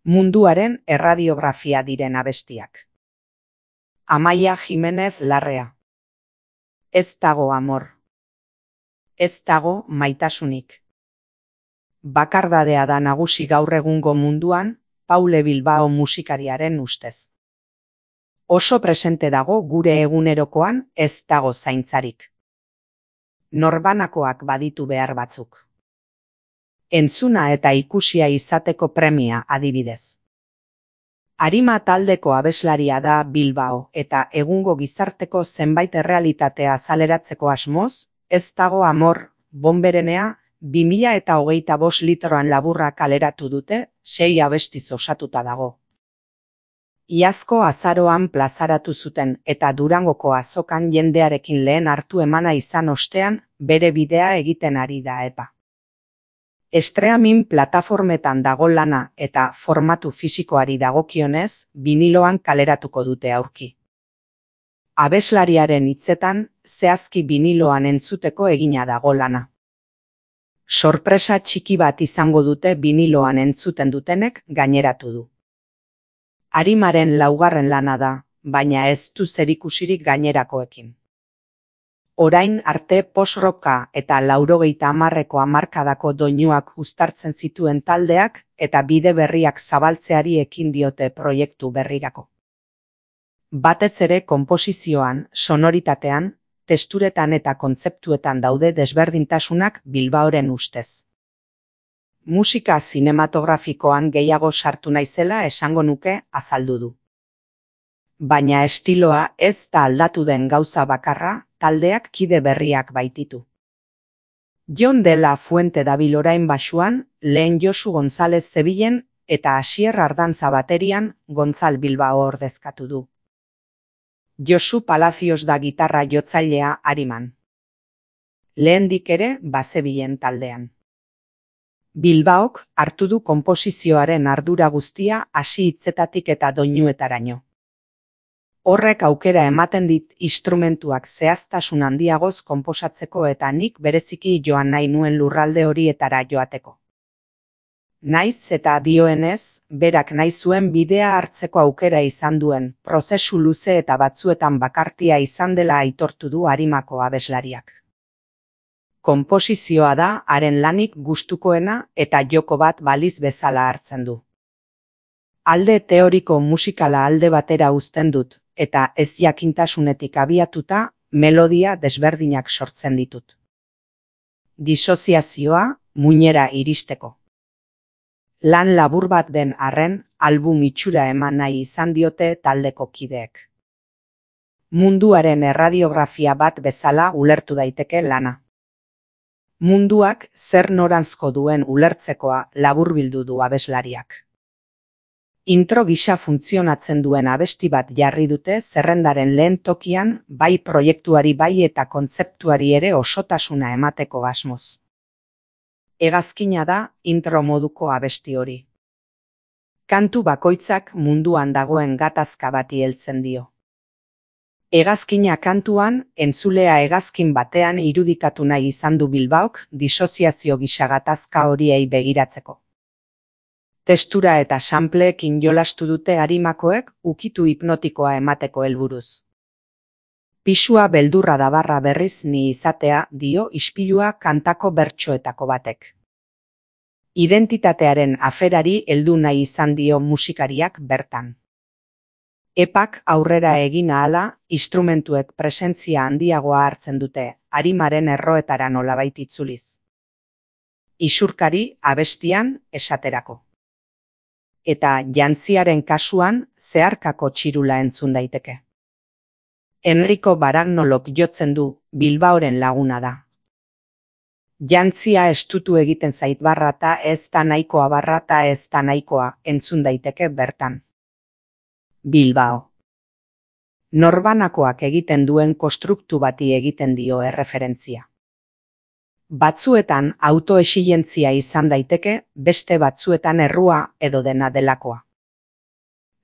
Munduaren erradiografia diren abestiak. Amaia Jimenez Larrea. Ez dago amor. Ez dago maitasunik. Bakardadea da nagusi gaur egungo munduan, Paule Bilbao musikariaren ustez. Oso presente dago gure egunerokoan ez dago zaintzarik. Norbanakoak baditu behar batzuk. Entzuna eta ikusia izateko premia adibidez. Arima taldeko abeslaria da Bilbao eta egungo gizarteko zenbait errealitatea azaleratzeko asmoz, ez dago amor, bonberenea, 2025 litroan laburra kaleratu dute, 6 abestiz osatuta dago. Iazko azaroan plazaratu zuten eta Durangoko azokan jendearekin lehen hartu emana izan ostean, bere bidea egiten ari da epa. Streaming plataformetan dago lana eta formatu fisikoari dagokionez, biniloan kaleratuko dute aurki. Abeslariaren hitzetan, zehazki biniloan entzuteko egina dago lana. Sorpresa txiki bat izango dute biniloan entzuten dutenek gaineratu du. Arimaren laugarren lana da, baina ez du zerikusirik gainerakoekin. Orain arte post-rocka eta 80ko hamarkadako doinuak uztartzen zituen taldeak eta bide berriak zabaltzeari ekin diote proiektu berrirako. Batez ere konposizioan, sonoritatean, testuretan eta kontzeptuetan daude desberdintasunak Bilbaoren ustez. Musika zinematografikoan gehiago sartu naizela esango nuke azaldu du. Baina estiloa ez da aldatu den gauza bakarra, taldeak kide berriak baititu. Jon de la Fuente dabil orain basuan, lehen Josu González zebilen eta Asier Ardantza baterian Gontzal Bilbao ordezkatu du. Josu Palacios da gitarra jotzailea Ariman. Lehendik ere bazebilen taldean. Bilbaok hartu du konposizioaren ardura guztia hasi hitzetatik eta doinuetaraino. Horrek aukera ematen dit instrumentuak zehaztasun handiagoz konposatzeko eta nik bereziki joan nahi nuen lurralde horietara joateko. Naiz eta dioenez, berak nahi zuen bidea hartzeko aukera izan duen, prozesu luze eta batzuetan bakartia izan dela aitortu du Arimako abeslariak. Konposizioa da haren lanik gustukoena eta joko bat baliz bezala hartzen du. Alde teoriko musikala alde batera uzten dut, eta ez jakintasunetik abiatuta, melodia desberdinak sortzen ditut. Disoziazioa, muinera iristeko. Lan labur bat den arren, album itxura eman nahi izan diote taldeko kideek. Munduaren erradiografia bat bezala ulertu daiteke lana. Munduak zer noranzko duen ulertzekoa laburbildu du abeslariak. Intro gisa funtzionatzen duen abesti bat jarri dute zerrendaren lehen tokian, bai proiektuari bai eta kontzeptuari ere osotasuna emateko asmoz. Hegazkina da intro moduko abesti hori. Kantu bakoitzak munduan dagoen gatazka bati heltzen dio. Hegazkina kantuan, entzulea hegazkin batean irudikatu nahi izan du Bilbaok disoziazio gisa gatazka horiei begiratzeko. Testura eta sampleekin jolastu dute Arimakoek ukitu hipnotikoa emateko helburuz. Pisua beldurra dabarra berriz ni izatea dio ispilua kantako bertsoetako batek. Identitatearen aferari heldu nahi izan dio musikariak bertan. Epak aurrera egin ahala, instrumentuek presentzia handiagoa hartzen dute, Arimaren erroetara nolabait itzuliz. Isurkari abestian esaterako. Eta jantziaren kasuan zeharkako txirula entzun daiteke. Enrico Baragnolok jotzen du, Bilbaoren laguna da. Jantzia estutu egiten zait barrata ez da nahikoa barrata ez da nahikoa entzun daiteke bertan. Bilbao. Norbanakoak egiten duen konstruktu bati egiten dio erreferentzia. Batzuetan autoexigentzia izan daiteke, beste batzuetan errua edo dena delakoa.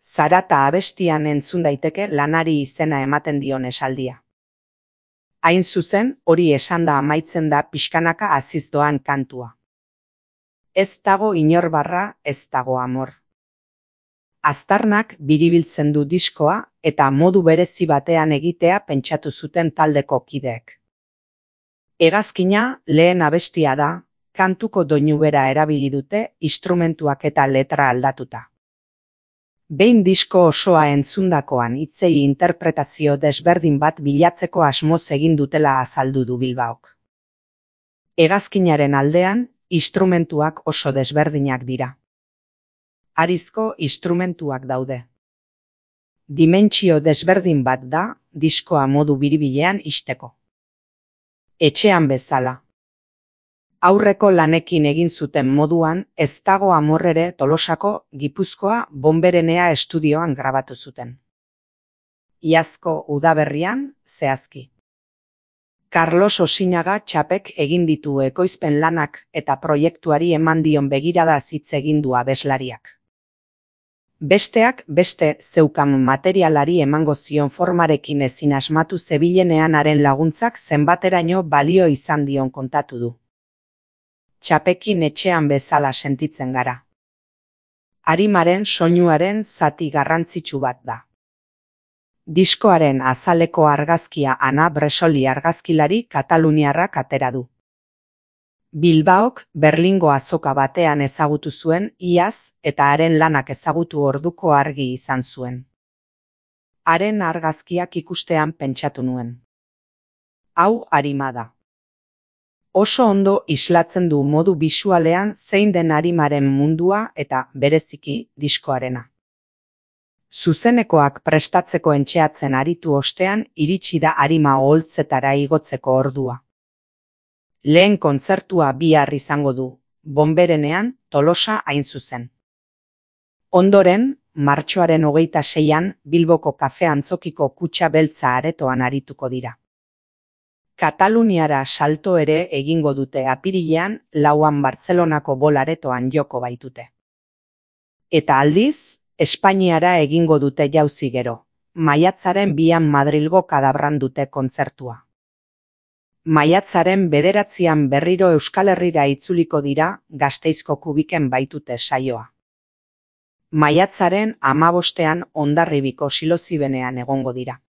Zarata abestian entzun daiteke lanari izena ematen dion esaldia. Hain zuzen, hori esanda amaitzen da pixkanaka haziz doan kantua. Ez dago inor barra, ez dago amor. Aztarnak biribiltzen du diskoa eta modu berezi batean egitea pentsatu zuten taldeko kideek. Hegazkina lehen abestia da, kantuko doinu bera erabili dute instrumentuak eta letra aldatuta. Behin disko osoa entzundakoan hitzei interpretazio desberdin bat bilatzeko asmoz egin dutela azaldu du Bilbaok. Hegazkinaren aldean, instrumentuak oso desberdinak dira. Harizko instrumentuak daude. Dimentsio desberdin bat da diskoa modu biribilean ixteko. Etxean bezala. Aurreko lanekin egin zuten moduan ez dago amorrere Tolosako Gipuzkoa Bonberenea estudioan grabatu zuten. Iazko udaberrian, zehazki. Carlos Osinaga txapek egin ditu ekoizpen lanak eta proiektuari eman dion begiradaz hitz egin du abeslariak. Besteak beste zeukan materialari emango zion formarekin ezin asmatu zebilenean haren laguntzak zenbateraino balio izan dion kontatu du. Txapekin etxean bezala sentitzen gara. Arimaren soinuaren zati garrantzitsu bat da. Diskoaren azaleko argazkia Ana Bresoli argazkilari kataluniarrak atera du. Bilbaok Berlingo azoka batean ezagutu zuen iaz eta haren lanak ezagutu orduko argi izan zuen. Haren argazkiak ikustean pentsatu nuen. Hau Arima da. Oso ondo islatzen du modu bisualean zein den Arimaren mundua eta bereziki diskoarena. Zuzenekoak prestatzeko entxeatzen aritu ostean iritsi da Arima oholtzetara igotzeko ordua. Lehen kontzertua bihar izango du, Bonberenean, Tolosa hain zuzen. Ondoren, martxoaren 26an Bilboko Kafe Antzokiko Kutxa Beltza aretoan arituko dira. Kataluniara salto ere egingo dute apirilean 4an Bartzelonako Bol aretoan joko baitute. Eta aldiz, Espainiara egingo dute jauzi gero, maiatzaren 2an Madrilgo Kadabran dute kontzertua. Maiatzaren 9an berriro Euskal Herrira itzuliko dira Gasteizko Kubiken baitute saioa. Maiatzaren 15an Hondarribiko Silozibenean egongo dira.